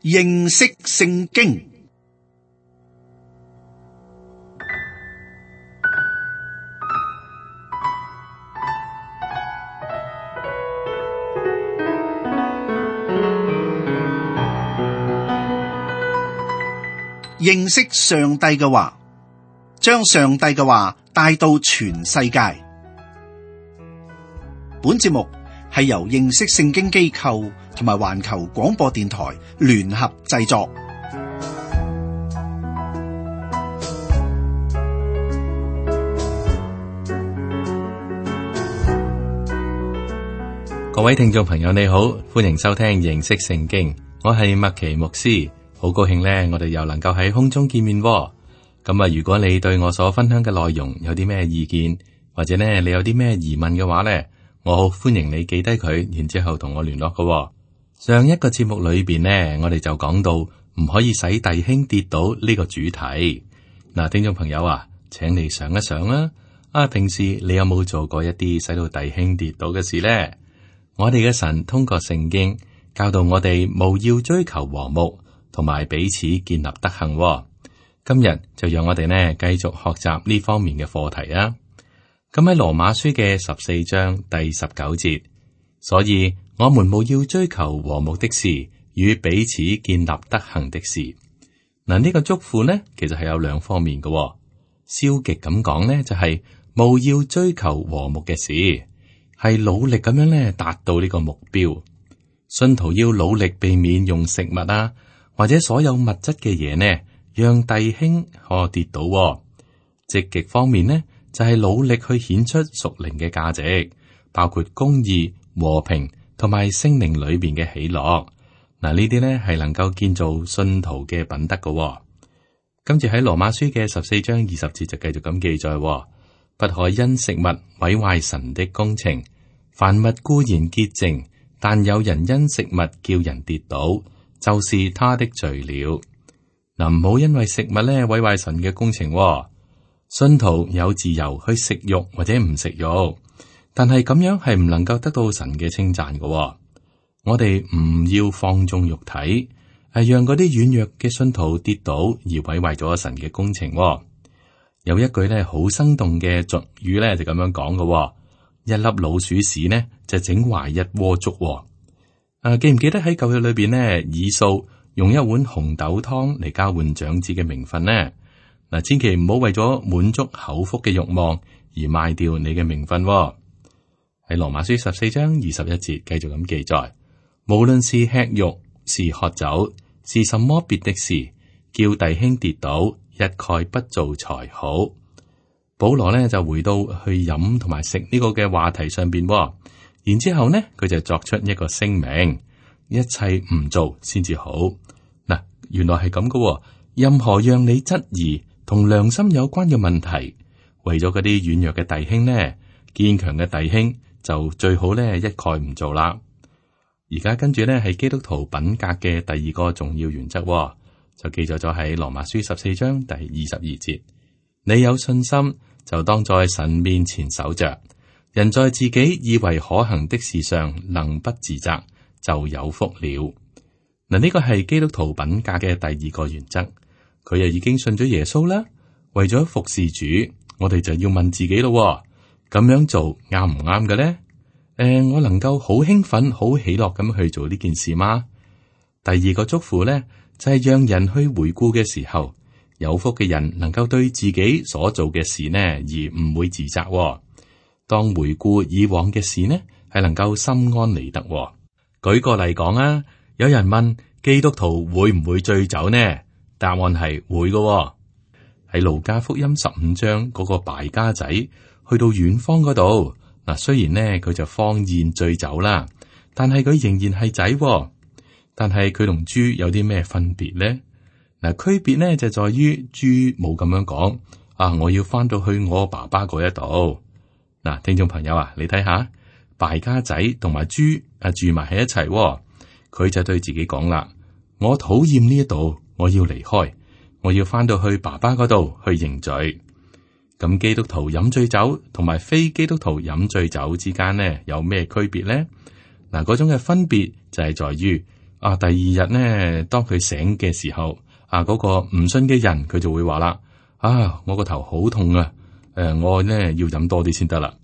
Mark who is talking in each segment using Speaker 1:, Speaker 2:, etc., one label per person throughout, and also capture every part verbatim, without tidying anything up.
Speaker 1: 認識聖經。認識上帝嘅話，將上帝嘅話帶到全世界。本節目係由認識聖經機構同埋環球廣播電台聯合製作。
Speaker 2: 各位聽眾朋友你好，歡迎收聽認識聖經，我係麥奇牧師。好高興咧，我哋又能夠喺空中見面喎。咁啊，如果你對我所分享嘅內容有啲咩意見，或者咧你有啲咩疑問嘅話咧，我好歡迎你記低佢，然之後同我聯絡㗎喎。上一個節目裏邊呢，我哋就講到唔可以使弟兄跌倒呢個主題。嗱，聽眾朋友啊，請你想一想啦。啊，平時你有冇做過一啲使到弟兄跌倒嘅事呢？我哋嘅神通過聖經教導我哋，務要追求和睦，同埋彼此建立德行喎。今日就讓我哋呢繼續學習呢方面嘅課題啊。咁喺羅馬書嘅十四章第十九節，所以我們務要追求和睦的事，與彼此建立德行的事。嗱，呢個祝福呢，其實係有兩方面嘅喎。消極咁講呢，就係務要追求和睦嘅事，係努力咁樣呢達到呢個目標。信徒要努力避免用食物啊，或者所有物質嘅嘢呢，讓弟兄可跌倒喎。積極方面呢，就係努力去顯出屬靈嘅價值，包括公義、和平同埋聖靈裏邊嘅喜樂。嗱，呢啲呢係能夠建造信徒嘅品德嘅喎。跟住喺羅馬書嘅十四章二十節就繼續咁記載喎，不可因食物毀壞神的工程。凡物固然潔淨，但有人因食物叫人跌倒，就是他的罪了。嗱，唔好因為食物咧毀壞神嘅工程喎。信徒有自由去食肉或者唔食肉，但係咁樣係唔能夠得到神嘅稱讚嘅喎。我哋唔要放縱肉體，係讓嗰啲軟弱嘅信徒跌倒而毀壞咗神嘅工程喎。有一句咧好生動嘅俗語咧就咁樣講嘅喎，一粒老鼠屎呢就整壞一鍋粥喎。啊，記唔記得喺舊約裏邊呢？以掃用一碗紅豆湯嚟交換長子嘅名分呢？嗱，千祈唔好為咗滿足口腹嘅慾望而賣掉你嘅名分喎。喺羅馬書十四章二十一節繼續咁記載，無論是吃肉，是喝酒，是什麼別的事，叫弟兄跌倒，一概不做才好。保羅呢就回到去飲同埋食呢個嘅話題上邊喎。然之後呢，佢就作出一個聲明，一切唔做先至好。嗱，原來係咁噶。任何讓你質疑同良心有關嘅問題，為咗嗰啲軟弱嘅弟兄呢，堅強嘅弟兄就最好呢一概唔做啦。而家跟住呢係基督徒品格嘅第二個重要原則，就記載咗喺羅馬書十四章第二十二節。你有信心，就當在神面前守着。人在自己以為可行的事上能不自責，就有福了。嗱，呢個係基督徒品格嘅第二個原則。佢又已經信咗耶穌啦，為咗服侍主，我哋就要問自己咯，咁樣做啱唔啱嘅咧？誒、呃，我能夠好興奮、好喜樂咁去做呢件事嗎？第二個祝福咧，就係、是、讓人去回顧嘅時候，有福嘅人能夠對自己所做嘅事呢，而唔會自責。當回顧以往嘅事呢，係能夠心安理得。舉個例講啊，有人問基督徒會唔會醉酒呢？答案係會嘅。喺路加福音十五章嗰個敗家仔去到遠方嗰度，嗱，雖然呢佢就荒宴醉酒啦，但係佢仍然係仔。但係佢同豬有啲咩分別呢？嗱，區別呢就在於豬冇咁樣講啊，我要翻到去我爸爸嗰一度。嗱，聽眾朋友啊，你睇下敗家仔同埋豬啊住埋喺一齊，佢就對自己講啦：我討厭呢一度，我要離開，我要翻到去爸爸嗰度去認罪。咁基督徒飲醉酒同埋非基督徒飲醉酒之間呢，有咩區別呢？嗱，嗰種嘅分別就係在於啊，第二日呢，當佢醒嘅時候，啊，嗰、那個唔信嘅人佢就會話啦：啊，我個頭好痛啊！誒、呃，我呢要飲多啲先得啦。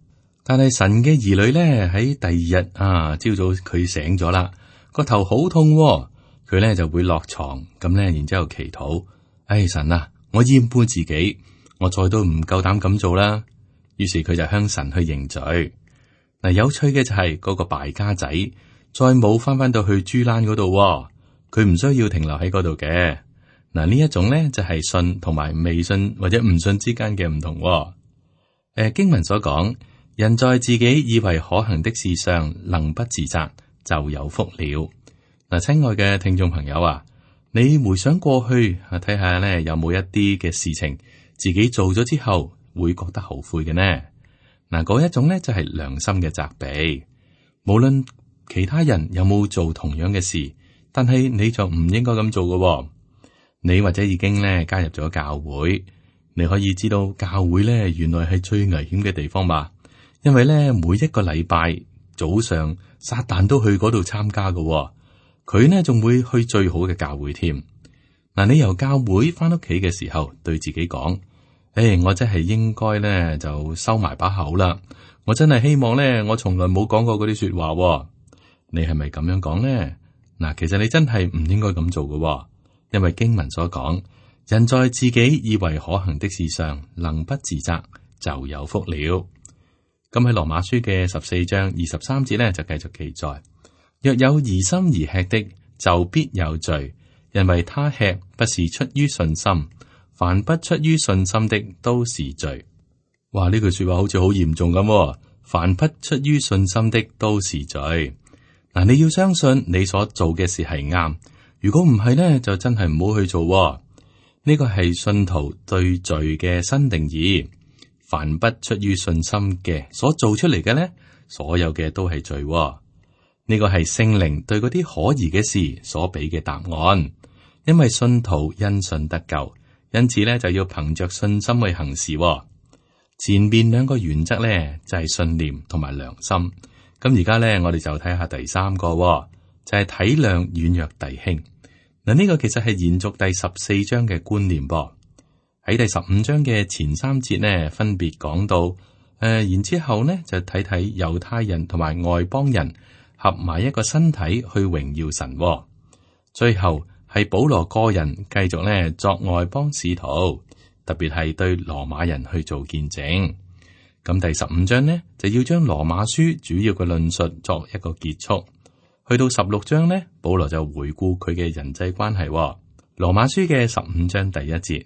Speaker 2: 但係神嘅兒女咧喺第二日啊，朝早佢醒咗啦，個頭好痛、啊，佢咧就會落床咁咧，然之後祈禱：哎，神啊，我厭惡自己，我再都唔夠膽咁做啦。於是佢就向神去認罪。嗱，有趣嘅就係嗰個敗家仔，再冇翻翻到去豬欄嗰度，佢唔需要停留喺嗰度嘅。嗱，呢一種咧就係信同埋未信或者唔信之間嘅唔同。誒，經文所講，人在自己以為可行的事上能不自責，就有福了。嗱，親愛嘅聽眾朋友啊，你回想過去啊，睇下咧有冇一啲嘅事情自己做咗之後會覺得後悔嘅呢？嗱，嗰一種咧就係良心嘅責備，無論其他人有冇做同樣嘅事，但係你就唔應該咁做嘅。你或者已經咧加入咗教會，你可以知道教會咧原來係最危險嘅地方嘛，因為咧每一個禮拜早上撒旦都去嗰度參加嘅，佢呢仲會去最好嘅教會添。嗱，你由教會翻屋企嘅時候，對自己講：誒，我真係應該咧就收埋把口啦，我真係希望咧我從來冇講過嗰啲說話。你係咪咁樣講呢？嗱，其實你真係唔應該咁做嘅，因為經文所講，人在自己以為可行的事上能不自責，就有福了。咁喺羅馬書嘅十四章二十三節咧就繼續記載：若有疑心而吃的，就必有罪，因為他吃不是出於信心。凡不出於信心的都是罪。哇！呢句說話好似好嚴重咁。凡不出於信心的都是罪。嗱，你要相信你所做嘅事係啱。如果唔係呢，就真係唔好去做。呢個係信徒對罪嘅新定義。凡不出於信心嘅所做出嚟嘅呢，所有嘅都係罪。呢個係聖靈對嗰啲可疑嘅事所俾嘅答案。因為信徒因信得救。因此咧，就要憑着信心去行事。前面兩個原則咧就係信念同埋良心。咁而家咧，我哋就睇下第三個，就係體諒軟弱弟兄。嗱，呢個其實係延續第十四章嘅觀念噃。喺第十五章嘅前三節呢，分別講到誒、呃，然之後呢就睇睇猶太人同埋外邦人合埋一個身體去榮耀神。最後。係保羅個人繼續咧作外邦使徒，特別係對羅馬人去做見證。咁第十五章呢，就要將羅馬書主要嘅論述作一個結束。去到十六章呢，保羅就回顧佢嘅人際關係。羅馬書嘅十五章第一節：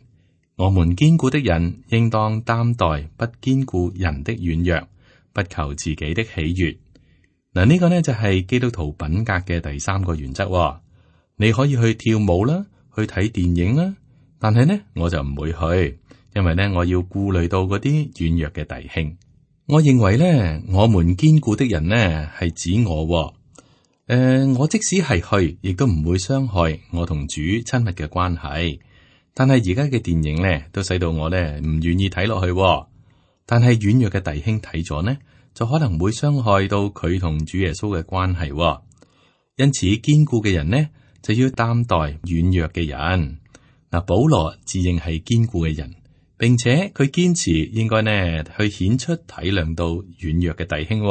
Speaker 2: 我們堅固的人應當擔待不堅固人的軟弱，不求自己的喜悅。嗱，呢個呢就係基督徒品格嘅第三個原則。你可以去跳舞啦，去睇電影啦，但係呢，我就唔會去，因為呢，我要顧慮到嗰啲軟弱嘅弟兄。我認為呢，我們堅固的人呢係指我，誒、呃，我即使係去，亦都唔會傷害我同主親密嘅關係。但係而家嘅電影呢，都使到我呢唔願意睇落去。但係軟弱嘅弟兄睇咗呢，就可能會傷害到佢同主耶穌嘅關係。因此，堅固嘅人呢，就要擔待軟弱嘅人。嗱，保羅自認係堅固嘅人，並且佢堅持應該呢去顯出體諒到軟弱嘅弟兄。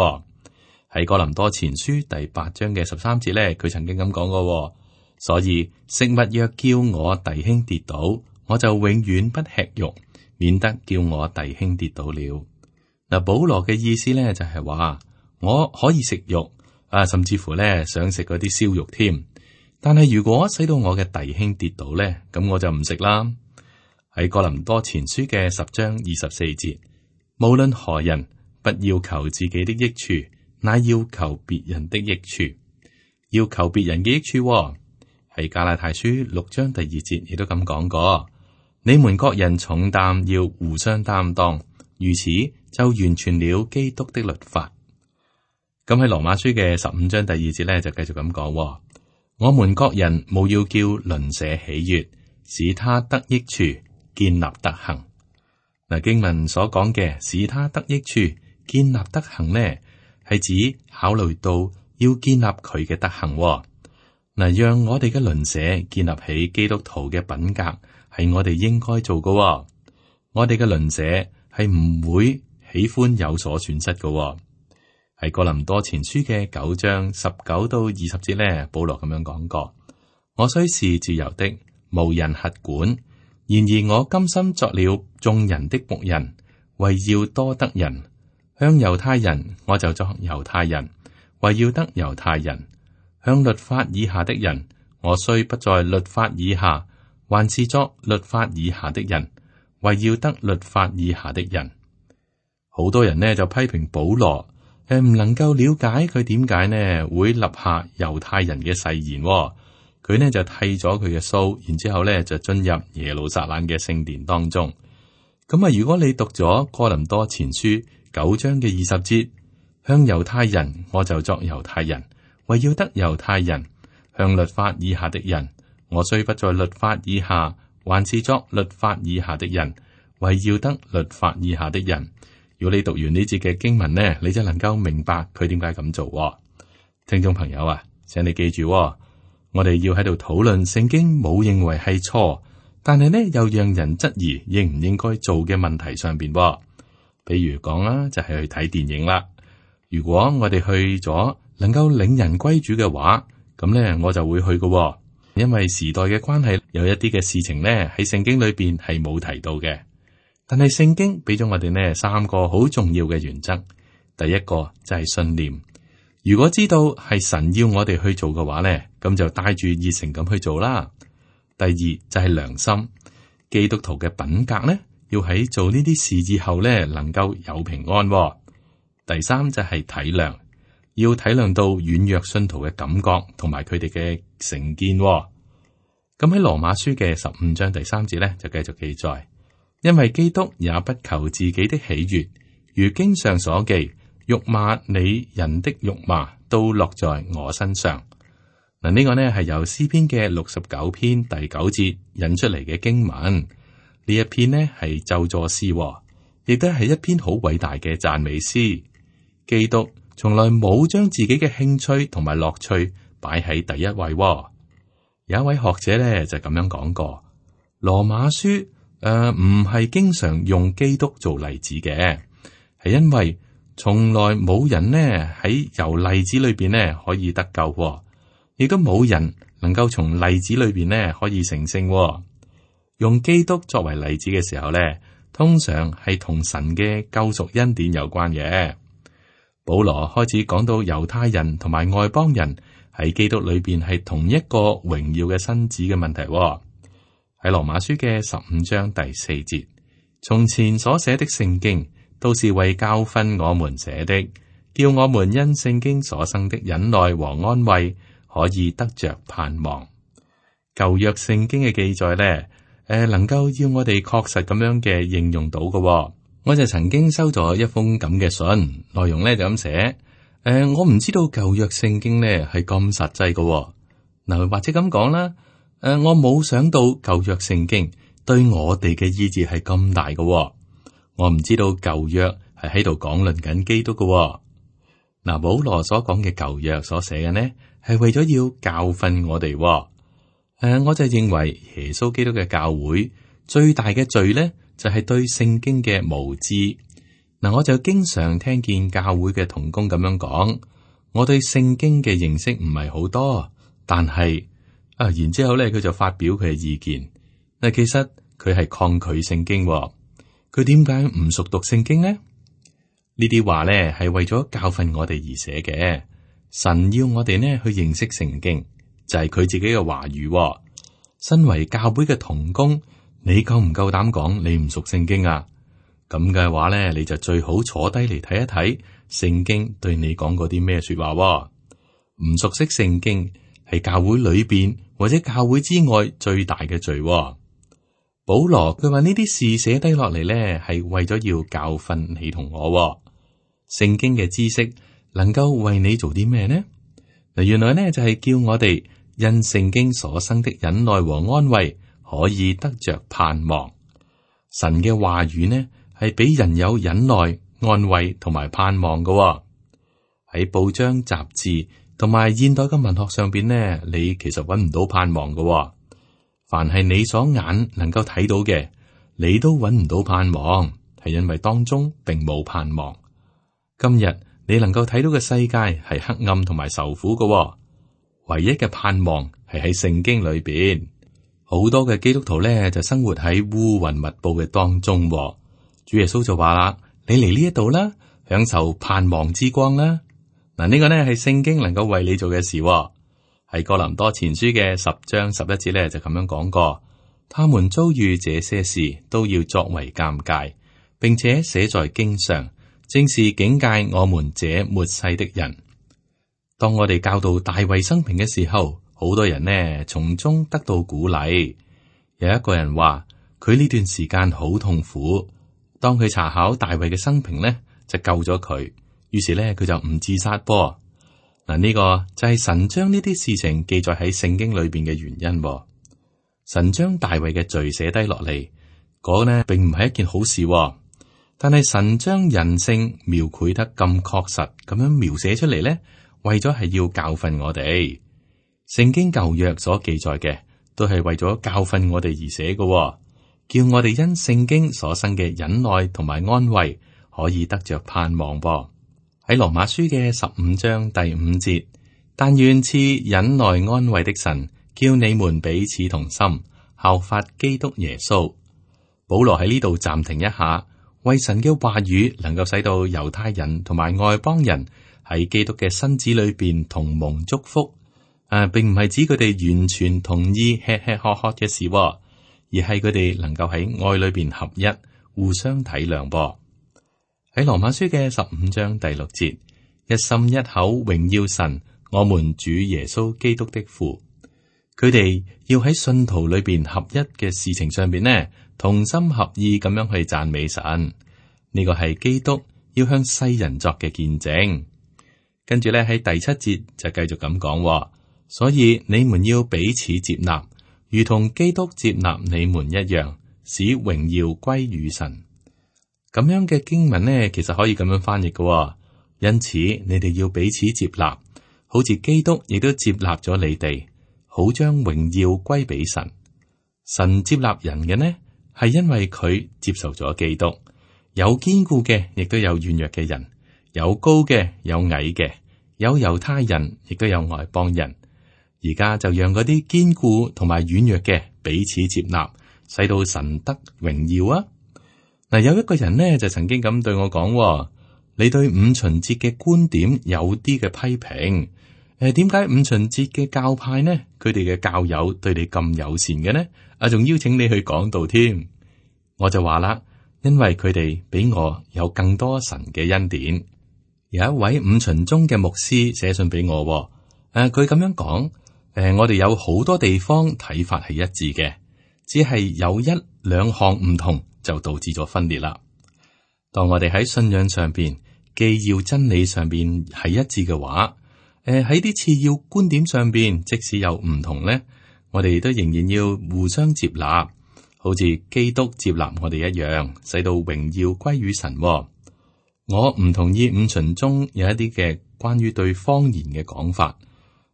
Speaker 2: 喺哥林多前書第八章嘅十三節咧，佢曾經咁講過。所以食物若叫我弟兄跌倒，我就永遠不吃肉，免得叫我弟兄跌倒了。嗱，保羅嘅意思咧就係話，我可以食肉啊，甚至乎咧想食嗰啲燒肉添。但係如果使到我嘅弟兄跌倒咧，咁我就唔食啦。喺哥林多前書嘅十章二十四節，無論何人，不要求自己的益處，乃要求別人的益處。要求別人嘅益處，喺加拉太書六章第二節亦都咁講過。你們各人重擔要互相擔當，如此就完全了基督的律法。咁喺羅馬書嘅十五章第二節咧，就繼續咁講。我們各人務要叫鄰舍喜悅，使他得益處，建立德行。嗱，經文所講嘅使他得益處，建立德行呢，係指考慮到要建立佢嘅德行。嗱，嗱，讓我哋嘅鄰舍建立起基督徒嘅品格，係我哋應該做嘅、哦。我哋嘅鄰舍係唔會喜歡有所損失嘅、哦。喺哥林多前書嘅九章十九到二十節咧，保羅咁樣講過：我雖是自由的，無人轄管，然而我甘心作了眾人的僕人，為要多得人。向猶太人，我就作猶太人，為要得猶太人；向律法以下的人，我雖不在律法以下，還是作律法以下的人，為要得律法以下的人。好多人呢就批評保羅。誒，唔能夠了解佢點解呢會立下猶太人嘅誓言、哦，佢呢就剃咗佢嘅鬚，然之後呢就進入耶路撒冷嘅聖殿當中。咁啊，如果你讀咗哥林多前書九章嘅二十節，向猶太人我就作猶太人，為要得猶太人；向律法以下的人，我雖不在律法以下，還是作律法以下的人，為要得律法以下的人。如果你讀完呢節嘅經文呢，你就能夠明白佢點解咁做、哦。聽眾朋友啊，請你記住、哦，我哋要喺度討論聖經冇認為係錯，但係呢又讓人質疑應唔應該做嘅問題上邊、哦。比如講啦，就係、是、去睇電影啦。如果我哋去咗能夠領人歸主嘅話，咁呢我就會去嘅、哦，因為時代嘅關係，有一啲嘅事情呢喺聖經裏邊係冇提到嘅。但係聖經俾咗我哋呢三個好重要嘅原則，第一個就係信念。如果知道係神要我哋去做嘅話呢，咁就帶住熱誠咁去做啦。第二就係良心，基督徒嘅品格呢，要喺做呢啲事之後呢能夠有平安、哦。第三就係體諒，要體諒到軟弱信徒嘅感覺同埋佢哋嘅成見、哦。咁喺羅馬書嘅十五章第三節呢，就繼續記載。因為基督也不求自己的喜悅，如經上所記，辱罵你人的辱罵都落在我身上。嗱，呢個呢係由詩篇嘅六十九篇第九節引出嚟嘅經文。呢一篇呢係咒詛詩，亦都係一篇好偉大嘅讚美詩。基督從來冇將自己嘅興趣同埋樂趣擺喺第一位。有一位學者呢就咁樣講過，羅馬書。誒，唔係、呃、經常用基督做例子嘅，係因為從來冇人呢喺由例子裏邊呢可以得救、哦，亦都冇人能夠從例子裏邊呢可以成聖、哦。用基督作為例子嘅時候呢，通常係同神嘅救贖恩典有關嘅。保羅開始講到猶太人同埋外邦人喺基督裏邊係同一個榮耀嘅身子嘅問題、哦。喺羅馬書嘅十五章第四節，從前所寫的聖經都是為教訓我們寫的，叫我們因聖經所生的忍耐和安慰，可以得着盼望。舊約聖經嘅記載呢，誒，能夠要我哋確實咁樣嘅應用到嘅、哦。我就曾經收咗一封咁嘅信，內容呢就咁寫，誒、呃，我唔知道舊約聖經呢係咁實際嘅、哦，嗱，或者咁講啦。誒、呃，我冇想到舊約聖經對我哋嘅意志係咁大嘅、哦，我唔知道舊約係喺度講論緊基督嘅、哦。嗱、呃，保羅所講嘅舊約所寫嘅呢，係為咗要教訓我哋、哦。誒、呃，我就認為耶穌基督嘅教會最大嘅罪呢，就係、是、對聖經嘅無知。嗱、呃，我就經常聽見教會嘅同工咁樣講，我對聖經嘅認識唔係好多，但係。啊，然之後咧，佢就發表佢嘅意見。嗱，其實佢係抗拒聖經，佢點解唔熟讀聖經呢？呢啲話咧係為咗教訓我哋而寫嘅。神要我哋呢去認識聖經，就係、是、佢自己嘅話語。身為教會嘅同工，你夠唔夠膽講你唔熟聖經啊？咁嘅話咧，你就最好坐低嚟睇一睇聖經對你講過啲咩說話。唔熟悉聖經係教會裏邊或者教會之外最大嘅罪。保羅佢話呢啲事寫低落嚟咧，係為咗要教訓你同我。聖經嘅知識能夠為你做啲咩呢？嗱，原來呢就係叫我哋因聖經所生的忍耐和安慰，可以得着盼望。神嘅話語呢係俾人有忍耐、安慰同埋盼望嘅。喺報章雜誌同埋現代嘅文學上邊呢，你其實揾唔到盼望嘅喎。凡係你所眼能夠睇到嘅，你都揾唔到盼望，係因為當中並冇盼望。今日你能夠睇到嘅世界係黑暗同埋受苦嘅喎，唯一嘅盼望係喺聖經裏邊。好多嘅基督徒咧就生活喺烏雲密布嘅當中喎。主耶穌就話啦：你嚟呢一度啦，享受盼望之光啦。嗱，呢個呢係聖經能夠為你做嘅事喎。喺哥林多前書嘅十章十一節咧就咁樣講過，他們遭遇這些事都要作為鑑戒，並且寫在經上，正是警戒我們這末世的人。當我哋教導大衛生平嘅時候，好多人呢從中得到鼓勵。有一個人話佢呢段時間好痛苦，當佢查考大衛嘅生平呢，就救咗佢。於是咧，佢就唔自殺噃。嗱，呢個就係神將呢啲事情記載喺聖經裏邊嘅原因。神將大衛嘅罪寫低落嚟，嗰呢並唔係一件好事。但係神將人性描繪得咁確實咁樣描寫出嚟咧，為咗係要教訓我哋。聖經舊約所記載嘅，都係為咗教訓我哋而寫嘅，叫我哋因聖經所生嘅忍耐同埋安慰，可以得着盼望噃。喺羅馬書嘅十五章第五節，但願賜忍耐安慰的神，叫你們彼此同心，效法基督耶穌。保羅喺呢度暫停一下，為神嘅話語能夠使到猶太人同埋外邦人喺基督嘅身子裏邊同蒙祝福。誒、啊，並唔係指佢哋完全同意吃吃喝喝嘅事，而係佢哋能夠喺愛裏邊合一，互相體諒噃。喺羅馬書嘅十五章第六節，一心一口榮耀神，我們主耶穌基督的父。佢哋要喺信徒裏邊合一嘅事情上邊呢，同心合意咁樣去讚美神。呢個係基督要向世人作嘅見證。跟住咧喺第七節就繼續咁講，所以你們要彼此接納，如同基督接納你們一樣，使榮耀歸於神。咁樣嘅經文呢，其實可以咁樣翻譯嘅、哦。因此，你哋要彼此接納，好似基督亦都接納咗你哋，好將榮耀歸俾神。神接納人嘅呢，係因為佢接受咗基督。有堅固嘅，亦都有軟弱嘅人；有高嘅，有矮嘅；有猶太人，亦都有外邦人。而家就讓嗰啲堅固同埋軟弱嘅彼此接納，使到神得榮耀啊！嗱，有一個人呢就曾經咁對我講：你對五旬節嘅觀點有啲嘅批評。誒，點解五旬節嘅教派呢？佢哋嘅教友對你咁友善嘅呢？啊，仲邀請你去講道添。我就話啦，因為佢哋比我有更多神嘅恩典。有一位五旬宗嘅牧師寫信俾我，誒、啊，佢咁樣講：誒，我哋有好多地方睇法係一致嘅，只係有一兩項唔同，就導致咗分裂啦。當我哋喺信仰上邊，既要真理上邊係一致嘅話，誒喺啲次要觀點上邊，即使有唔同咧，我哋都仍然要互相接納，好似基督接納我哋一樣，使到榮耀歸於神。我唔同意五旬中有一啲嘅關於對方言嘅講法，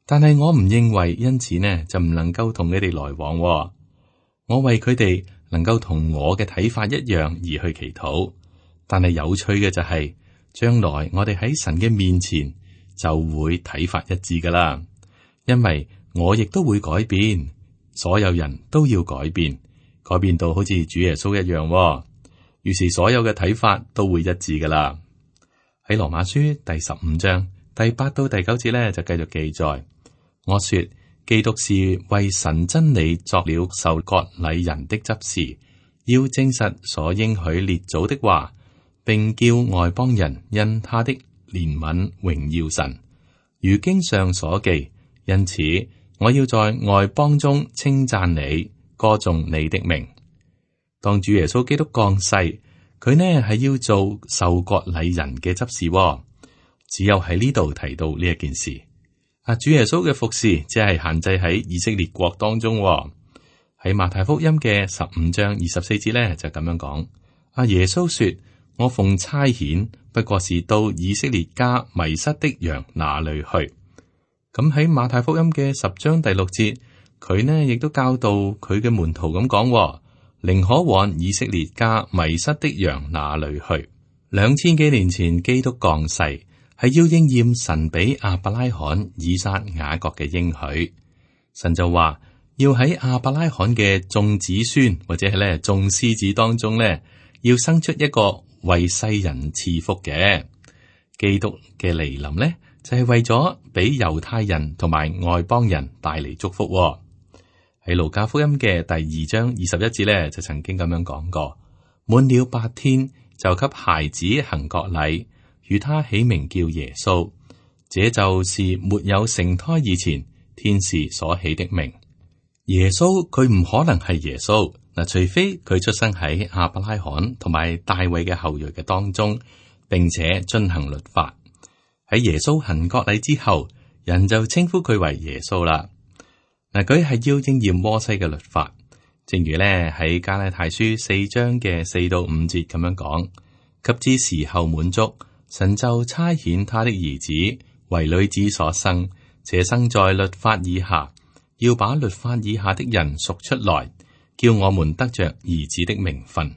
Speaker 2: 但係我唔認為因此呢就唔能夠同佢哋來往。我為佢哋能夠同我嘅睇法一樣而去祈禱，但係有趣嘅就係、是，將來我哋喺神嘅面前就會睇法一致噶啦，因為我亦都會改變，所有人都要改變，改變到好似主耶穌一樣，於是所有嘅睇法都會一致噶啦。喺羅馬書第十五章第八到第九節咧，就繼續記載，我說。基督是為神真理作了受割禮人的執事，要證實所應許列祖的話，並叫外邦人因他的憐憫榮耀神。如經上所記，因此我要在外邦中稱讚你，歌頌你的名。當主耶穌基督降世，佢呢係要做受割禮人嘅執事，哦，只有喺呢度提到呢一件事。啊！主耶穌嘅服侍只係限制喺以色列國當中，哦。喺馬太福音嘅十五章二十四節咧，就咁樣講：阿耶穌說，我奉差遣，不過是到以色列家迷失的羊那裏去。咁喺馬太福音嘅十章第六節，佢呢亦都教導佢嘅門徒咁講：寧可往以色列家迷失的羊那裏去。兩千幾年前基督降世，係要應驗神俾亞伯拉罕、以撒、雅各嘅應許。神就話要喺亞伯拉罕嘅眾子孫或者係咧眾獅子當中咧，要生出一個為世人賜福嘅基督嘅嚟臨咧，就係、是、為咗俾猶太人同埋外邦人帶嚟祝福。喺路加福音嘅第二章二十一節咧，就曾經咁樣講過：滿了八天，就給孩子行割禮，與他起名叫耶穌。這就是沒有成胎以前天使所起的名。耶穌佢唔可能係耶穌嗱，除非佢出生喺亞伯拉罕同埋大衛嘅後裔嘅當中，並且遵行律法。喺耶穌行割禮之後，人就稱呼佢為耶穌啦。嗱，佢係要應驗摩西嘅律法，正如咧喺加拉太書四章嘅四到五節咁樣講：及至時候滿足，神就差遣他的兒子為女子所生，且生在律法以下，要把律法以下的人贖出來，叫我們得着兒子的名分。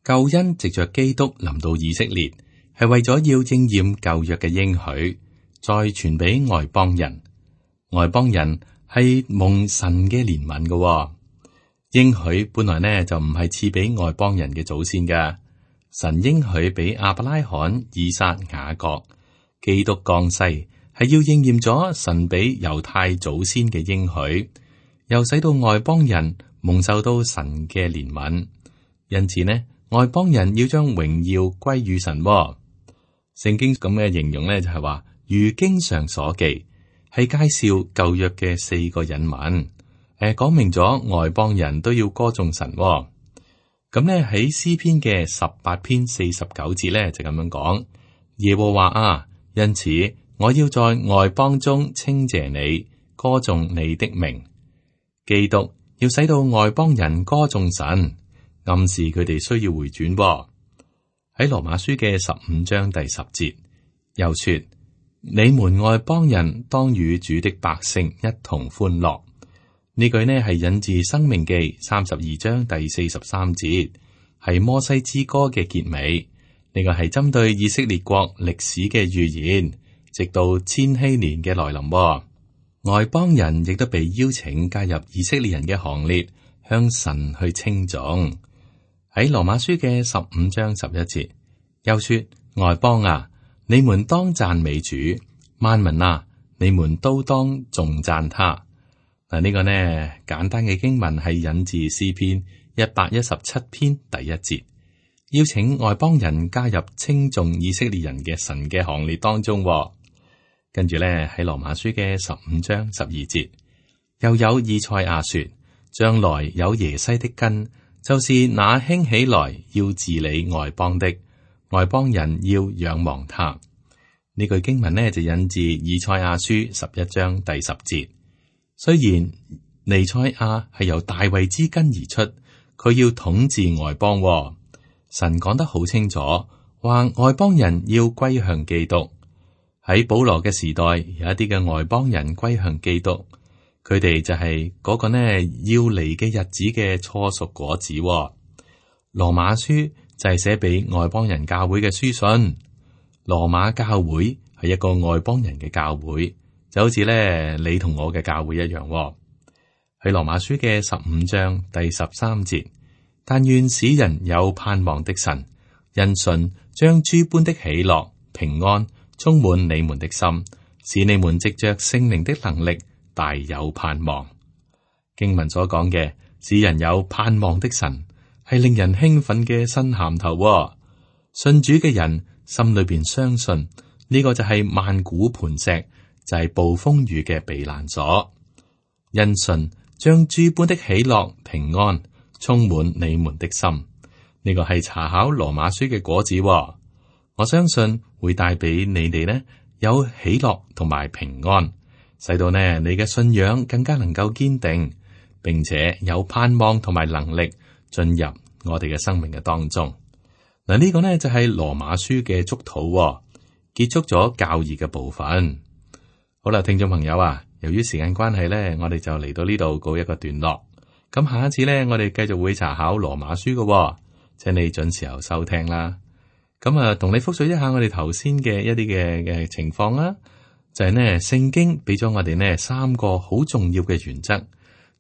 Speaker 2: 救恩藉着基督臨到以色列，係為咗要應驗舊約嘅應許，再傳俾外邦人。外邦人係蒙神嘅憐憫嘅應許，本來呢就唔係賜俾外邦人嘅祖先嘅。神應許俾亞伯拉罕、以撒、雅各，基督降世係要應驗咗神俾猶太祖先嘅應許，又使到外邦人蒙受到神嘅憐憫。因此呢，外邦人要將榮耀歸於神。聖經咁嘅形容呢，就係話，如經上所記，係介紹舊約嘅四個隱文，誒，講明咗外邦人都要歌頌神。咁呢喺詩篇嘅十八篇四十九節呢，就咁樣講：耶和華啊，因此我要在外邦中稱謝你，歌頌你的名。基督要使到外邦人歌頌神，暗示佢哋需要回轉。喺羅馬書嘅十五章第十節，又說：你們外邦人當與主的百姓一同歡樂。呢句呢係引自《申命記》三十二章第四十三節，係摩西之歌嘅結尾。呢個係針對以色列國歷史嘅預言，直到千禧年嘅來臨。外邦人亦都被邀請加入以色列人嘅行列，向神去稱頌。喺羅馬書嘅十五章十一節，又說：外邦啊，你們當讚美主；萬民啊，你們都當頌讚他。嗱，呢個呢簡單嘅經文係引自詩篇一百一十七篇第一節，邀請外邦人加入稱頌以色列人嘅神嘅行列當中。跟住咧喺羅馬書嘅十五章十二節，又有以賽亞說：將來有耶西的根，就是那興起來要治理外邦的，外邦人要仰望他。呢句經文呢就引自以賽亞書十一章第十節。雖然彌賽亞係由大衛之根而出，佢要統治外邦。神講得好清楚，話外邦人要歸向基督。喺保羅嘅時代，有一啲嘅外邦人歸向基督，佢哋就係嗰個呢要嚟嘅日子嘅初熟果子。羅馬書就係寫俾外邦人教會嘅書信。羅馬教會係一個外邦人嘅教會，就好似咧你同我嘅教會一樣。喺羅馬書嘅十五章第十三節，但願使人有盼望的神，因信將諸般的喜樂、平安充滿你們的心，使你們藉着聖靈的能力大有盼望。經文所講嘅使人有盼望的神，係令人興奮嘅新銜頭。信主嘅人心裏邊相信呢個就係萬古磐石，就係暴風雨嘅避難所。因信將諸般的喜樂、平安充滿你們的心，呢個係查考羅馬書嘅果子。我相信會帶俾你哋呢有喜樂同埋平安，使到呢你嘅信仰更加能夠堅定，並且有盼望同埋能力進入我哋嘅生命嘅當中。嗱，呢個呢就係羅馬書嘅祝禱，結束咗教義嘅部分。好啦，聽眾朋友啊，由於時間關係呢，我哋就嚟到呢度告一個段落。咁下一次呢，我哋繼續會查考羅馬書嘅、哦，請你準時候收聽啦。咁啊，同你複述一下我哋頭先嘅一啲嘅嘅情況啦。就係呢，聖經俾咗我哋呢三個好重要嘅原則，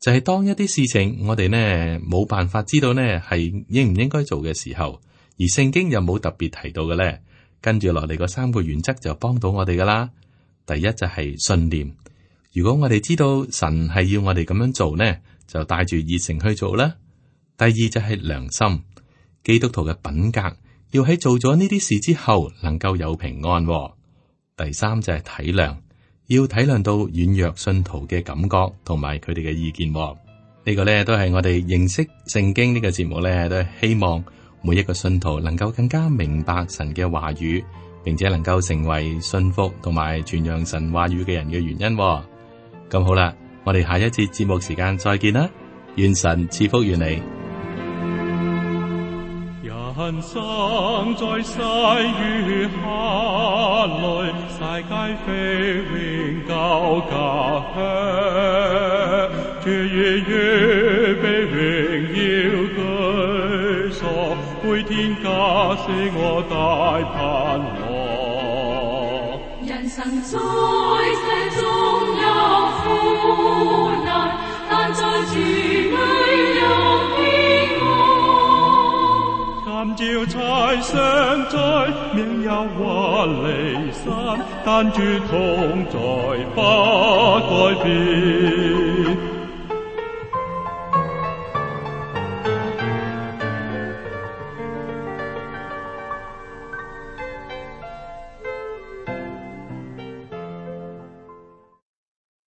Speaker 2: 就係、是、當一啲事情我哋呢冇辦法知道呢係應唔應該做嘅時候，而聖經又冇特別提到嘅呢，跟住落嚟嗰三個原則就幫到我哋噶啦。第一就係信念，如果我哋知道神係要我哋咁樣做呢，就帶住熱誠去做啦。第二就係良心，基督徒嘅品格要喺做咗呢啲事之後能夠有平安、哦。第三就係體諒，要體諒到軟弱信徒嘅感覺同埋佢哋嘅意見、哦。呢、這個呢都係我哋認識聖經呢個節目呢，都係希望每一個信徒能夠更加明白神嘅話語。並且能夠成為信服同埋傳揚神話語嘅人嘅原因、哦。咁好啦，我哋下一節節目時間再見啦，願神賜福於你。
Speaker 3: 人生在世與客裏，世界飛永久家鄉，主已預備榮耀居所，配天家是我大盼望。
Speaker 4: 人生在世中有苦難，但在主裏有平安。
Speaker 3: 今朝彩相在，明日或離散，但主同在不改變。